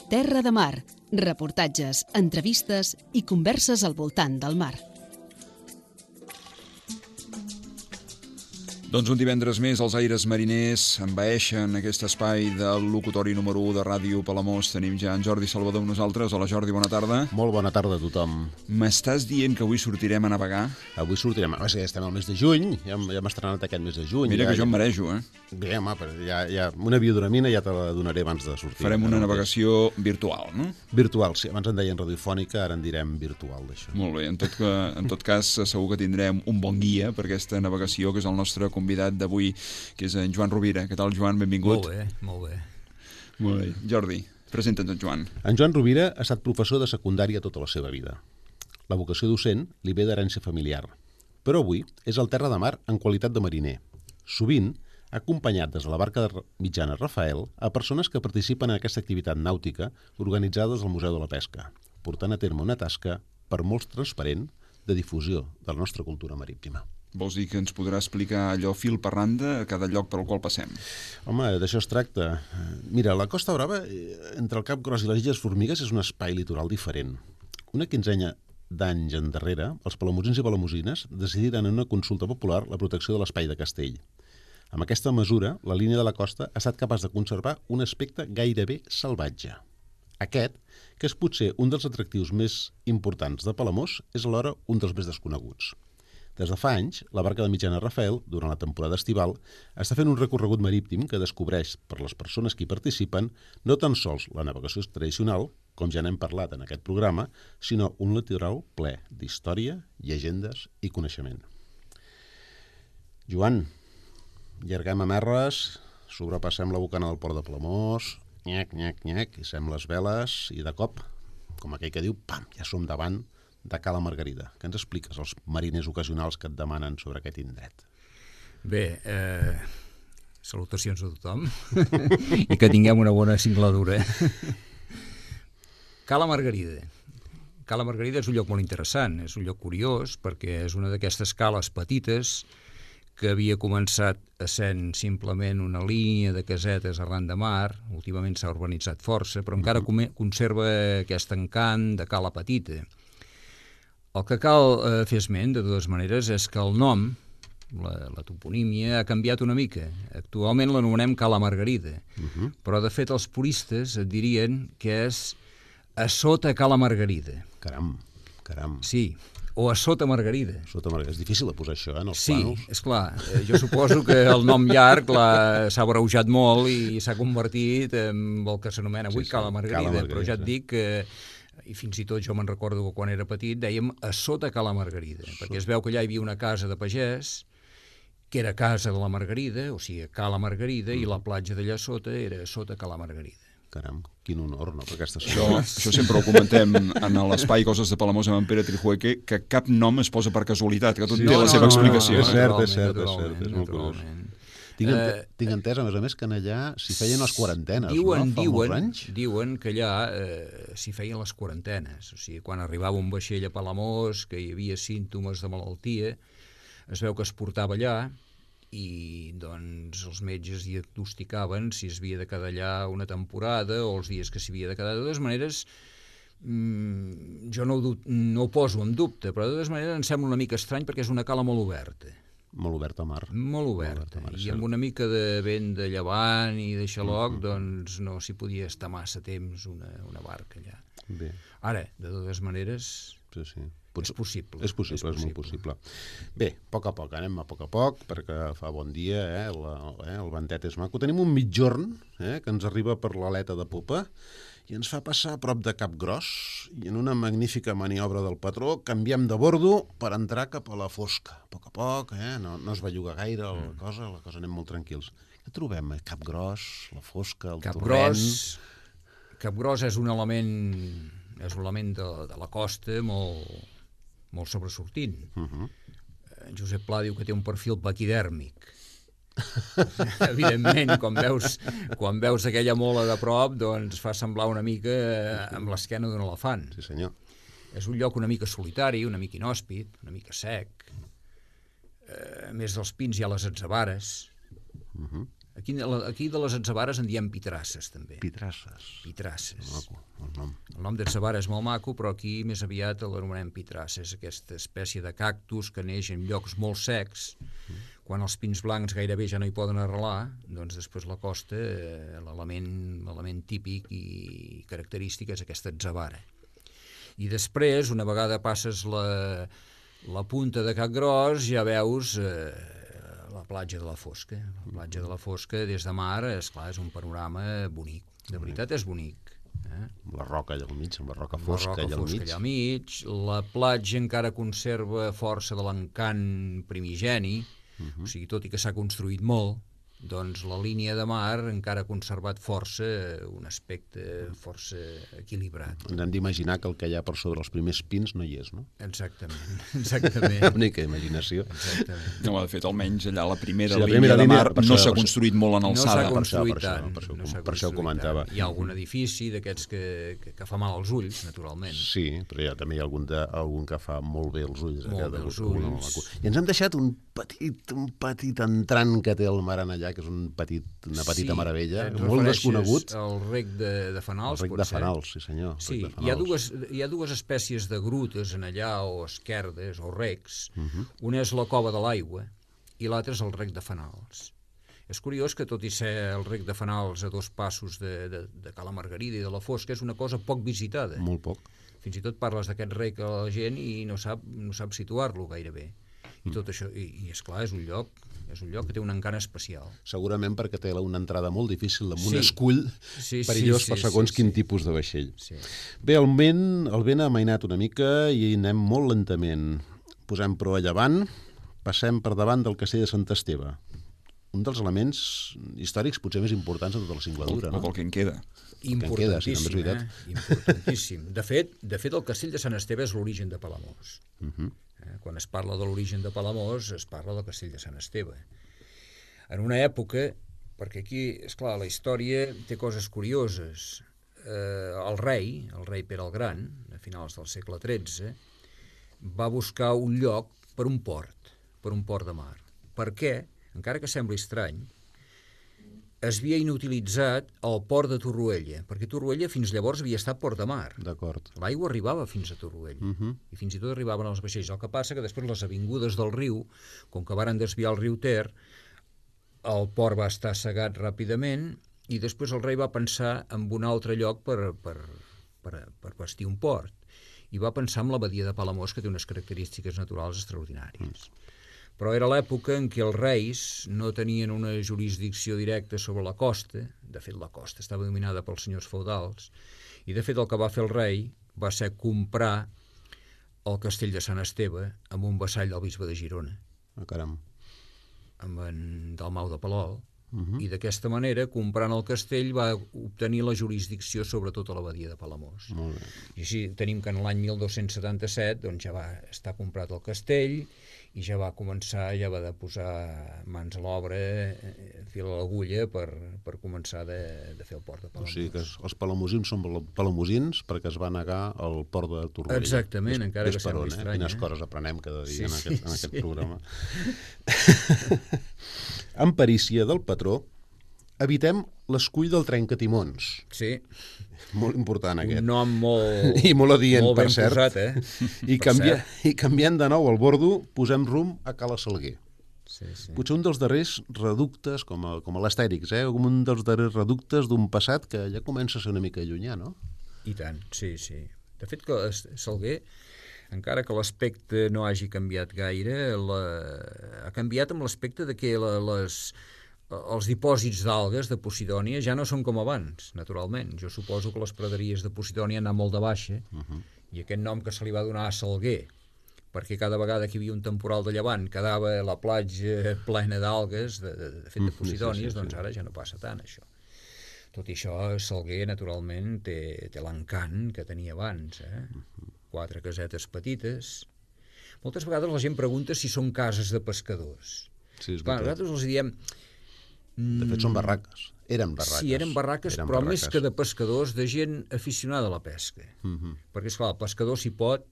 Terra de Mar, reportatges, entrevistes i converses al voltant del mar. Doncs un divendres més els aires mariners envaeixen aquest espai del locutori número 1 de Ràdio Palamós. Tenim ja en Jordi Salvador amb nosaltres. Hola Jordi, bona tarda. Molt bona tarda a tothom. M'estàs dient que avui sortirem a navegar? Avui sortirem, ja estem al mes de juny, ja hem estrenat aquest mes de juny. Mira que jo em marejo, Bé, home, ja una biodramina ja te la donaré abans de sortir. Farem una navegació virtual, no? Virtual, sí. Abans en deien radiofònica, ara en direm virtual, d'això. Molt bé, en tot cas segur que tindrem un bon guia per aquesta navegació, que és el nostre convidat d'avui, que és en Joan Rovira. Què tal, Joan? Benvingut. Molt bé. Molt bé. Jordi, presenta't, en Joan. En Joan Rovira ha estat professor de secundària tota la seva vida. La vocació docent li ve d'herència familiar, però avui és al terra de mar en qualitat de mariner. Sovint ha acompanyat des de la barca de Mitjana Rafael a persones que participen en aquesta activitat nàutica organitzades al Museu de la Pesca, portant a terme una tasca per molts transparent de difusió de la nostra cultura marítima. Vols dir que ens podrà explicar allò fil per randa a cada lloc per al qual passem? Home, d'això es tracta. Mira, la Costa Brava, entre el Cap Gros i les Illes Formigues, és un espai litoral diferent. Una quinzena d'anys endarrere, els palamosins i palamosines decidiren en una consulta popular la protecció de l'espai de Castell. Amb aquesta mesura, la línia de la costa ha estat capaç de conservar un aspecte gairebé salvatge. Aquest, que és potser un dels atractius més importants de Palamós, és alhora un dels més desconeguts. Des de fa anys, la barca de Mitjana Rafael, durant la temporada estival, està fent un recorregut marítim que descobreix per les persones que hi participen no tan sols la navegació tradicional, com ja n'hem parlat en aquest programa, sinó un litoral ple d'història, llegendes i coneixement. Joan, llarguem amerres, sobrepassem la bocana del port de Palamós, nyac, hissem les veles i de cop, com aquell que diu, pam, ja som davant de Cala Margarida. Què ens expliques als mariners ocasionals que et demanen sobre aquest indret? Bé, salutacions a tothom i que tinguem una bona singladura. Cala Margarida. Cala Margarida és un lloc molt interessant, és un lloc curiós perquè és una d'aquestes cales petites que havia començat essent simplement una línia de casetes arran de mar, últimament s'ha urbanitzat força, però encara conserva aquest encant de cala petita. El que cal fer esment, de totes maneres, és que el nom, la toponímia, ha canviat una mica. Actualment l'anomenem Cala Margarida, però de fet els puristes et dirien que és a sota Cala Margarida. Caram. Sí, o a sota Margarida. Sota Margarida. És difícil de posar això, en els plànols. Sí, esclar. Jo suposo que el nom llarg s'ha abreujat molt i s'ha convertit en el que s'anomena avui Cala Margarida, però ja et dic que i fins i tot jo me'n recordo que quan era petit dèiem a sota Cala Margarida, perquè es veu que allà hi havia una casa de pagès que era casa de la Margarida, o sigui, Cala Margarida, i la platja d'allà sota era sota Cala Margarida. Caram, quin honor, no?, per aquestes coses. Això sempre ho comentem en l'espai Coses de Palamós amb en Pere Trijueque, que cap nom es posa per casualitat, que tot té la seva explicació. És cert, és molt curiós. Tinc entès, a més, que allà s'hi feien les quarantenes, Diuen que allà s'hi feien les quarantenes. O sigui, quan arribava un vaixell a Palamós, que hi havia símptomes de malaltia, es veu que es portava allà i doncs els metges diagnosticaven si es havia de quedar allà una temporada o els dies que s'hi havia de quedar. De totes maneres, jo no ho poso en dubte, però de totes maneres em sembla una mica estrany perquè és una cala molt oberta. Molt oberta a mar. Molt oberta. I amb una mica de vent de llevant i de xaloc, doncs no s'hi podia estar massa temps una barca allà. Bé. Ara, de totes maneres, és possible. És molt possible. Bé, a poc a poc, anem a poc, perquè fa bon dia, el ventet és maco. Tenim un mitjorn que ens arriba per l'aleta de popa i ens fa passar a prop de Cap Gros i en una magnífica maniobra del patró canviem de bordo per entrar cap a la fosca. A poc, no es belluga gaire la cosa anem molt tranquils. Què trobem? Cap Gros, la fosca, el torrent... Cap Gros és un element de la costa molt sobresortint. Josep Pla diu que té un perfil paquidèrmic. Evidentment, quan veus aquella mola de prop, doncs fa semblar una mica amb l'esquena d'un elefant. Sí, senyor. És un lloc una mica solitari, una mica inhòspit, una mica sec. A més dels pins hi ha les atzabares. Aquí de les atzabares en diem pitrasses, també. Pitrasses. Maco, el nom. El nom d'atzabara és molt maco, però aquí més aviat l'anomenem pitrasses, aquesta espècie de cactus que neix en llocs molt secs. Quan els pins blancs gairebé ja no hi poden arrelar, doncs després la costa, l'element típic i característic és aquesta atzabara. I després, una vegada passes la punta de Cap Gros, ja veus la platja de la Fosca. La platja de la Fosca, des de mar, esclar, és un panorama bonic. De veritat és bonic. La roca allà al mig, amb la roca fosca allà al mig. La platja encara conserva força de l'encant primigeni, o sigui, tot i que s'ha construït molt, doncs la línia de mar encara ha conservat força un aspecte força equilibrat. Ens hem d'imaginar que el que hi ha per sobre els primers pins no hi és, no? Exactament. Única imaginació. Exactament. No, de fet, almenys allà la primera línia de mar no s'ha construït molt en alçada. No s'ha construït tant. Per això ho comentava. Hi ha algun edifici d'aquests que fa mal als ulls, naturalment. Sí, però també hi ha algun que fa molt bé els ulls. Molt bé els ulls. I ens hem deixat un petit entrant que té el mar en allà, que és una petita meravella, molt desconegut. El rec de Fanals, el rec de Fanals, sí senyor. Sí, hi ha dues espècies de grutes en allà, o esquerdes, o recs. Una és la Cova de l'Aigua i l'altra és el rec de Fanals. És curiós que, tot i ser el rec de Fanals a 2 passos de Cala Margarida i de la Fosca, és una cosa poc visitada. Molt poc. Fins i tot parles d'aquest rec a la gent i no sap situar-lo gairebé. I tot això, i esclar, és un lloc que té un encant especial. Segurament perquè té una entrada molt difícil amb un escull perillós per segons quin tipus de vaixell. Bé, el vent ha amainat una mica i anem molt lentament. Posem proa a llevant, passem per davant del castell de Sant Esteve. Un dels elements històrics potser més importants de tota la singladura. O del que en queda. Importantíssim, importantíssim. De fet, el castell de Sant Esteve és l'origen de Palamós. Quan es parla de l'origen de Palamós, es parla del castell de Sant Esteve. En una època, perquè aquí, esclar, la història té coses curioses. El rei Pere el Gran, a finals del segle XIII, va buscar un lloc per un port de mar. Per què? Encara que sembli estrany, es havia inutilitzat el port de Torroella, perquè Torroella fins llavors havia estat port de mar. D'acord. L'aigua arribava fins a Torroella, i fins i tot arribaven els vaixells. El que passa que després les avingudes del riu, com que varen desviar el riu Ter, el port va estar cegat ràpidament, i després el rei va pensar en un altre lloc per bastir un port, i va pensar en la badia de Palamós, que té unes característiques naturals extraordinàries. Però era l'època en què els reis no tenien una jurisdicció directa sobre la costa. De fet, la costa estava dominada pels senyors feudals, i de fet el que va fer el rei va ser comprar el castell de Sant Esteve amb un vassall del bisbe de Girona, amb en Dalmau de Palol, i d'aquesta manera, comprant el castell, va obtenir la jurisdicció sobre tota la badia de Palamós. I així tenim que en l'any 1277 doncs, ja va estar comprat el castell, i ja va de posar mans a l'obra, fil a l'agulla, per començar de fer el port de Palamós. O sigui que els palamosins són palamosins perquè es va negar al port de Torroella. Exactament, encara que sembli estrany. Quines coses aprenem cada dia en aquest programa. En perícia del patró, evitem l'escull del trencatimons. Sí. Molt important, aquest. Un nom molt... I molt adient, molt per ben cert. Posat, I canviant de nou el bordo, posem rumb a Cala Salguer. Sí. Potser un dels darrers reductes, com a l'Astèrix, com un dels darrers reductes d'un passat que ja comença a ser una mica llunyà, no? I tant, sí. De fet, que Salguer, encara que l'aspecte no hagi canviat gaire, ha canviat amb l'aspecte de que els dipòsits d'algues de Posidònia ja no són com abans, naturalment. Jo suposo que les praderies de Posidònia han anat molt de baixa, i aquest nom que se li va donar a Salguer, perquè cada vegada que hi havia un temporal de llevant quedava la platja plena d'algues, de fet de Posidònies, doncs ara ja no passa tant, això. Tot i això, Salguer, naturalment, té l'encant que tenia abans, 4 casetes petites. Moltes vegades la gent pregunta si són cases de pescadors. Clar, nosaltres els diem... De fet, són barraques. Eren barraques. Sí, eren barraques, però més que de pescadors, de gent aficionada a la pesca. Perquè, esclar, el pescador, si pot,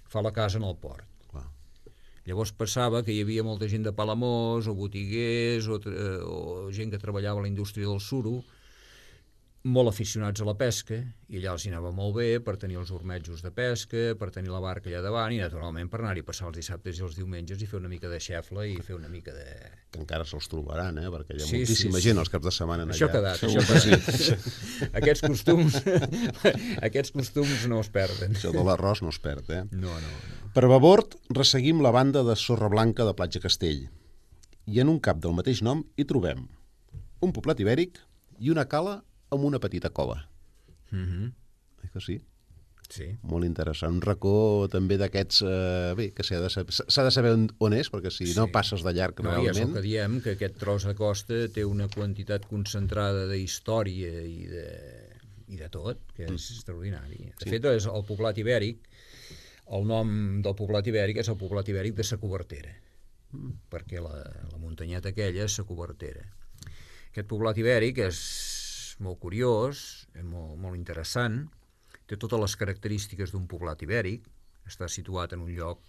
fa la casa en el port. Llavors passava que hi havia molta gent de Palamós, o botiguers, o gent que treballava a la indústria del suro, molt aficionats a la pesca, i allà els hi anava molt bé per tenir els ormetjos de pesca, per tenir la barca allà davant, i naturalment per anar-hi a passar els dissabtes i els diumenges i fer una mica de xefla i fer una mica de... Que encara se'ls trobaran, perquè hi ha moltíssima gent els caps de setmana allà. Això ha quedat, Aquests costums no es perden. Això de l'arròs no es perd, No. Per babord, resseguim la banda de sorra blanca de Platja Castell. I en un cap del mateix nom hi trobem un poblat ibèric i una cala amb una petita cova. Oi que sí? Sí. Molt interessant. Un racó també d'aquests... que s'ha de saber on és, perquè si no passes de llarg realment... És el que diem, que aquest tros de costa té una quantitat concentrada d'història i de tot, que és extraordinari. De fet, és el poblat ibèric, el nom del poblat ibèric és el poblat ibèric de sa Cobertera, perquè la muntanyeta aquella és sa Cobertera. Aquest poblat ibèric és molt curiós, és molt interessant, té totes les característiques d'un poblat ibèric, està situat en un lloc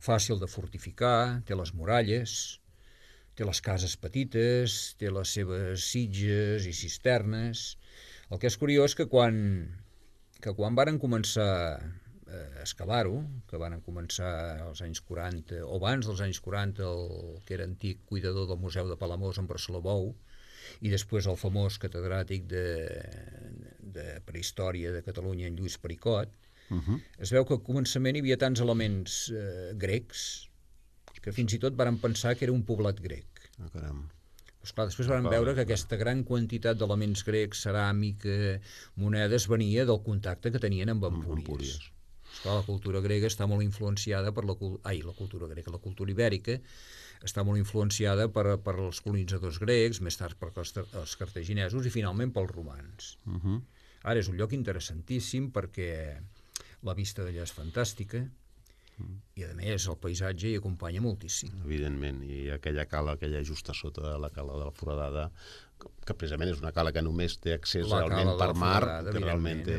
fàcil de fortificar, té les muralles, té les cases petites, té les seves sitges i cisternes. El que és curiós que quan varen començar a excavar-ho, que van començar als anys 40, o abans dels anys 40, el que era antic cuidador del Museu de Palamós, en Barceló Bou, i després el famós catedràtic de prehistòria de Catalunya, en Lluís Pericot, es veu que al començament hi havia tants elements grecs que fins i tot varen pensar que era un poblat grec. Caram. Esclar, després van veure que aquesta gran quantitat d'elements grecs, ceràmica, monedes, venia del contacte que tenien amb Empúries. Esclar, la cultura grega està molt influenciada per la cultura ibèrica està molt influenciada per els colonitzadors grecs, més tard per els cartaginesos i finalment pels romans. Ara és un lloc interessantíssim perquè la vista d'allà és fantàstica i a més el paisatge hi acompanya moltíssim. Evidentment, i aquella cala que hi ha just a sota, la cala de la Foradada, que precisament és una cala que només té accés realment per mar, que realment té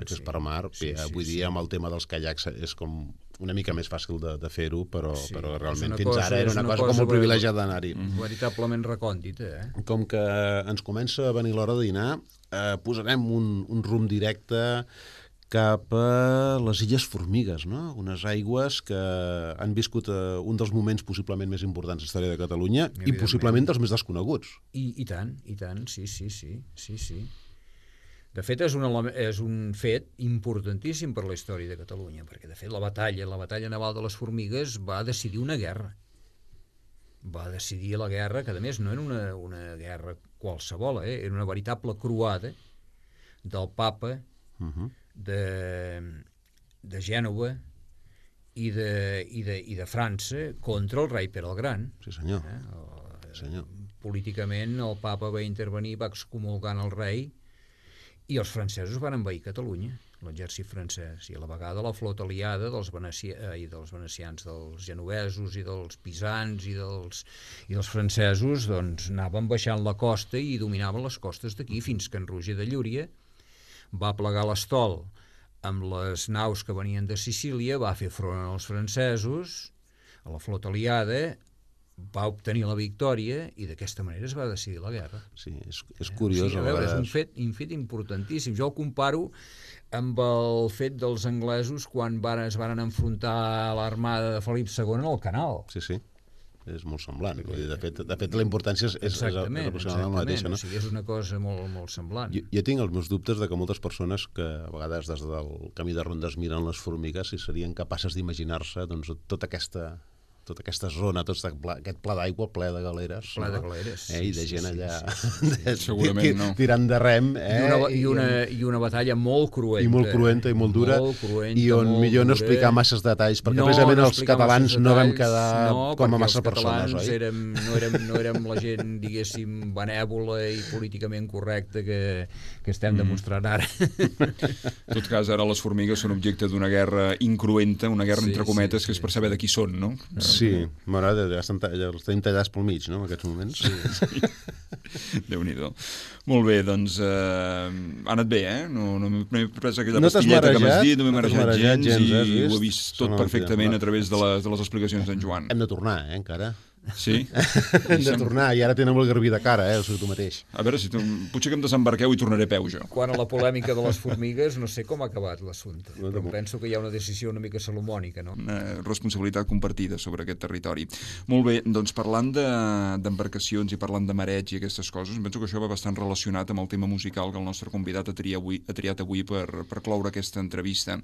accés per mar. Avui dia amb el tema dels caiacs és com una mica més fàcil de fer-ho, però realment fins ara era una cosa com molt privilegiada d'anar-hi. Veritablement recòndita. Com que ens comença a venir l'hora de dinar, posarem un rumb directe cap a les Illes Formigues, no? Unes aigües que han viscut un dels moments possiblement més importants de la història de Catalunya i possiblement dels més desconeguts. I tant, sí. De fet, és un fet importantíssim per la història de Catalunya, perquè de fet la batalla naval de les Formigues va decidir una guerra. Va decidir la guerra, que a més no era una guerra qualsevol, era una veritable croada del papa de Gènova i de França contra el rei Pere el Gran. Sí, senyor. Políticament el papa va intervenir, va excomulgant el rei i els francesos van envair Catalunya, l'exèrcit francès, i a la vegada la flota aliada dels venecians, dels genovesos i dels pisans i dels francesos doncs anaven baixant la costa i dominaven les costes d'aquí fins que en Roger de Llúria va plegar l'estol amb les naus que venien de Sicília, va fer front als francesos, a la flota aliada, va obtenir la victòria i d'aquesta manera es va decidir la guerra. Sí, és curiós. És un fet importantíssim. Jo el comparo amb el fet dels anglesos quan es van enfrontar a l'armada de Felip II en el Canal. Sí. És molt semblant. De fet, la importància és aproximadament la mateixa. No? O sigui, és una cosa molt semblant. Jo tinc els meus dubtes de que moltes persones que a vegades des del camí de rondes miren les formigues si serien capaces d'imaginar-se doncs, tota aquesta zona, tot aquest pla d'aigua ple de galeres. Ple de galeres. I de gent allà segurament no. Tirant de rem. I una batalla molt cruenta. I molt cruenta i molt dura. I on millor no explicar masses detalls, perquè precisament els catalans no vam quedar com a massa persones, oi? No érem la gent, diguéssim, benèvola i políticament correcta que estem demostrant ara. En tot cas, ara les formigues són objecte d'una guerra incruenta, una guerra entre cometes, que és per saber de qui són, no? Sí, m'agrada, ja els tenim tallats pel mig, no?, en aquests moments. Sí. Déu-n'hi-do. Molt bé, doncs ha anat bé, no m'he pres aquella pastilleta que m'has dit, no m'he marejat gens i ho he vist tot perfectament a través de les explicacions d'en Joan. Hem de tornar, encara. Sí? Hem de tornar, i ara tenen el garbí de cara, o sigui, tu mateix. A veure, potser que em desembarqueu i tornaré a peu, jo. Quant a la polèmica de les formigues, no sé com ha acabat l'assumpte, però penso que hi ha una decisió una mica salomònica, no? Una responsabilitat compartida sobre aquest territori. Molt bé, doncs parlant d'embarcacions i parlant de mareig i aquestes coses, penso que això va bastant relacionat amb el tema musical que el nostre convidat ha triat avui per cloure aquesta entrevista.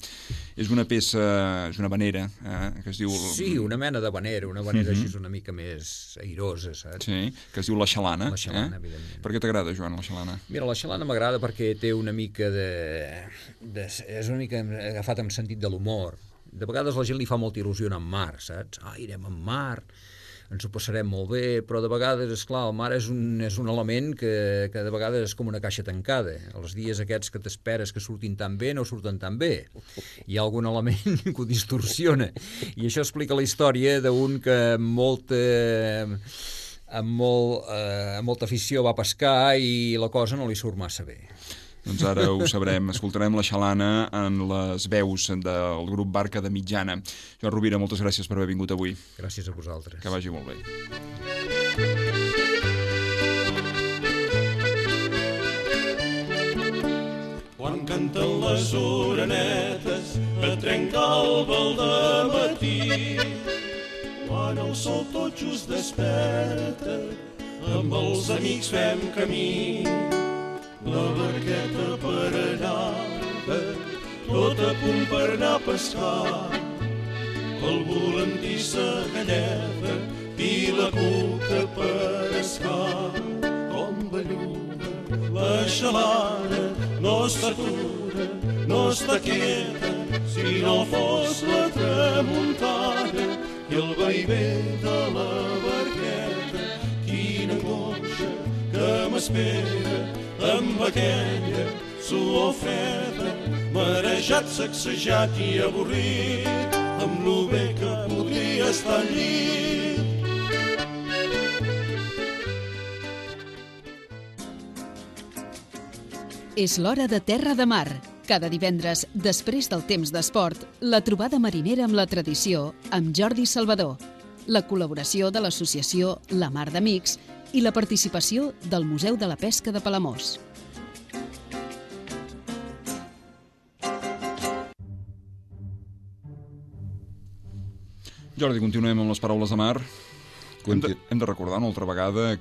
És una peça, és una vanera, que es diu... Sí, una mena de vanera, així és una mica més airosa, saps? Sí, que es diu La Xalana. La Xalana, evidentment. Per què t'agrada, Joan, La Xalana? Mira, La Xalana m'agrada perquè té una mica és una mica agafat amb sentit de l'humor. De vegades la gent li fa molta il·lusió anar en mar, saps? Irem en mar, ens ho passarem molt bé, però de vegades, esclar, el mar és un element que de vegades és com una caixa tancada. Els dies aquests que t'esperes que surtin tan bé no surten tan bé. Hi ha algun element que ho distorsiona. I això explica la història d'un que amb molta afició va pescar i la cosa no li surt massa bé. Doncs ara ho sabrem. Escoltarem La Xalana en les veus del grup Barca de Mitjana. Joan Rovira, moltes gràcies per haver vingut avui. Gràcies a vosaltres. Que vagi molt bé. Quan canten les orenetes a trencar el vel de matí, quan el sol tot just desperta, amb els amics fem camí. La barqueta paranada, tot a punt per anar a pescar. El volantí s'agalleda i la cuca per escar. Com belluga la xalana, no s'atura, no està quieta, si no fos la tramuntana i el vaivé de la barqueta. Quina angoixa que m'espera amb aquella suor freda, marejat, sacsejat i avorrit, amb lo bé que podria estar al llit. És l'hora de Terra de Mar. Cada divendres, després del temps d'esport, la trobada marinera amb la tradició amb Jordi Salvador, la col·laboració de l'associació La Mar d'Amics i la participació del Museu de la Pesca de Palamós. Jordi, continuem amb les paraules de mar. Hem de recordar una altra vegada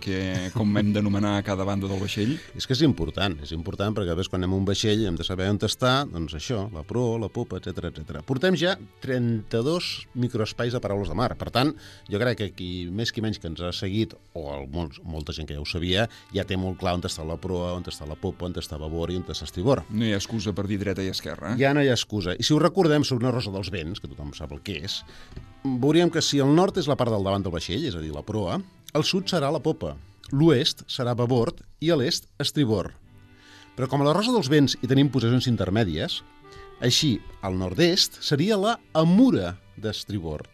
com hem d'anomenar cada banda del vaixell. És que és important perquè a vegades quan anem a un vaixell hem de saber on està, doncs això, la proa, la popa, etc. Portem ja 32 microespais de paraules de mar. Per tant, jo crec que qui més qui menys que ens ha seguit, o molta gent que ja ho sabia, ja té molt clar on està la proa, on està la popa, on està babor i on està estribor. No hi ha excusa per dir dreta i esquerra. Ja no hi ha excusa. I si ho recordem sobre una rosa dels vents, que tothom sap el que és, veuríem que si el nord és la part del davant del vaixell, és a dir, la proa, el sud serà la popa, l'oest serà babord i a l'est estribor. Però com a la rosa dels vents hi tenim posicions intermèdies, així, al nord-est seria la amura d'estribor,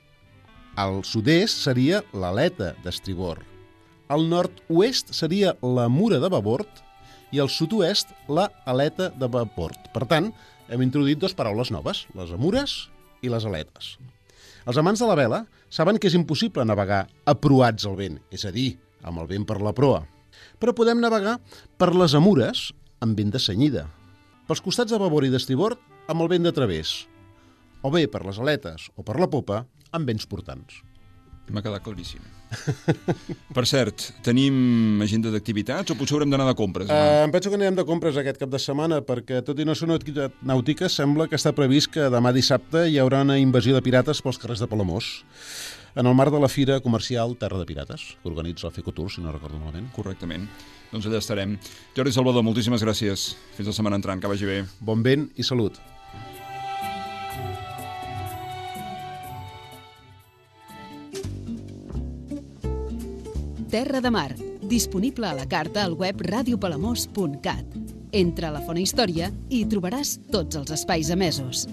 al sud-est seria l'aleta d'estribor, al nord-oest seria la mura de babord i al sud-oest la aleta de babord. Per tant, hem introduït dues paraules noves, les amures i les aletes. Els amants de la vela saben que és impossible navegar aproats al vent, és a dir, amb el vent per la proa. Però podem navegar per les amures amb vent de cenyida, pels costats de babord i d'estribord amb el vent de través, o bé per les aletes o per la popa amb vents portants. M'ha quedat claríssim. Per cert, tenim agenda d'activitats o potser haurem d'anar de compres? Em penso que anirem de compres aquest cap de setmana perquè, tot i no ser una activitat nàutica, sembla que està previst que demà dissabte hi haurà una invasió de pirates pels carrers de Palamós, en el marc de la Fira Comercial Terra de Pirates, que organitza el FECOTUR, si no recordo malament. Correctament. Doncs allà estarem. Jordi Salvador, moltíssimes gràcies. Fins la setmana entrant, que vagi bé. Bon vent i salut. Terra de Mar, disponible a la carta al web radiopalamós.cat. Entra a la Fona Història i hi trobaràs tots els espais emesos.